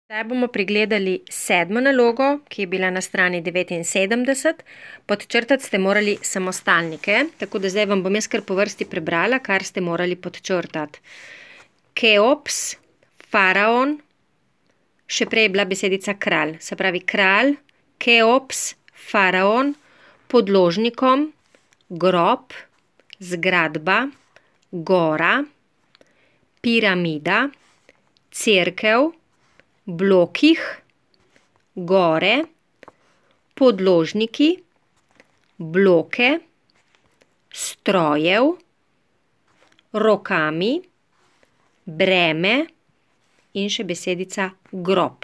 Zdaj bomo pregledali 7. nalogo, ki je bila na strani 79. Podčrtati ste morali samostalnike, tako da zdaj vam bom jaz kar po vrsti prebrala, kar ste morali podčrtati. Keops, faraon, še prej je bila besedica kralj, se pravi kralj, Keops, faraon, podložnikom, grob, zgradba, gora, piramida, cerkev, blokih, gore, podložniki, bloke, strojev, rokami, breme in še besedica grob.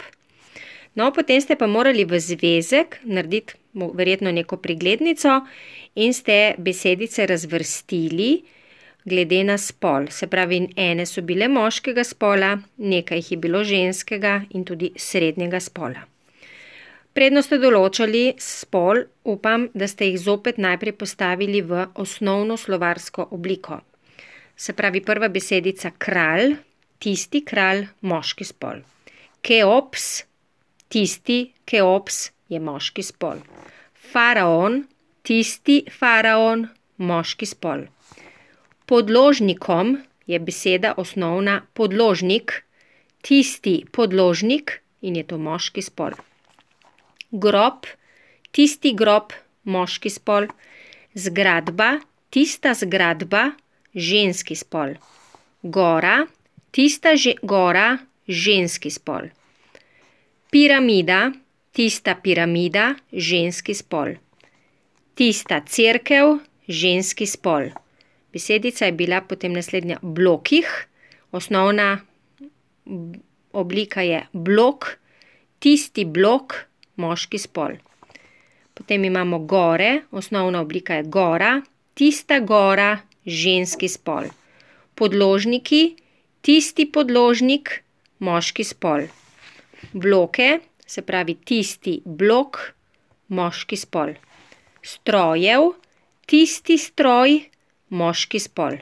No, potem ste pa morali v zvezek narediti verjetno neko preglednico in ste besedice razvrstili glede na spol. Se pravi, ene so bile moškega spola, nekaj jih je bilo ženskega in tudi srednjega spola. Predno ste določali spol, upam, da ste jih zopet najprej postavili v osnovno slovarsko obliko. Se pravi, prva besedica kralj, tisti kralj, moški spol. Keops, tisti Keops je moški spol. Faraon, tisti faraon, moški spol. Podložnikom je beseda osnovna podložnik, tisti podložnik in je to moški spol. Grob, tisti grob, moški spol. Zgradba, tista zgradba, ženski spol. Gora, tista gora, ženski spol. Piramida, tista piramida, ženski spol. Tista cerkev, ženski spol. Besedica je bila potem naslednja blokih, osnovna oblika je blok, tisti blok, moški spol. Potem imamo gore, osnovna oblika je gora, tista gora, ženski spol. Podložniki, tisti podložnik, moški spol. Bloke, se pravi tisti blok, moški spol. Strojev, tisti stroj, moški spol.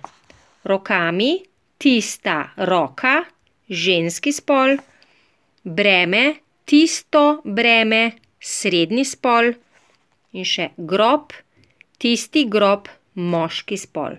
Rokami, tista roka, ženski spol. Breme, tisto breme, srednji spol. In še grob, tisti grob, moški spol.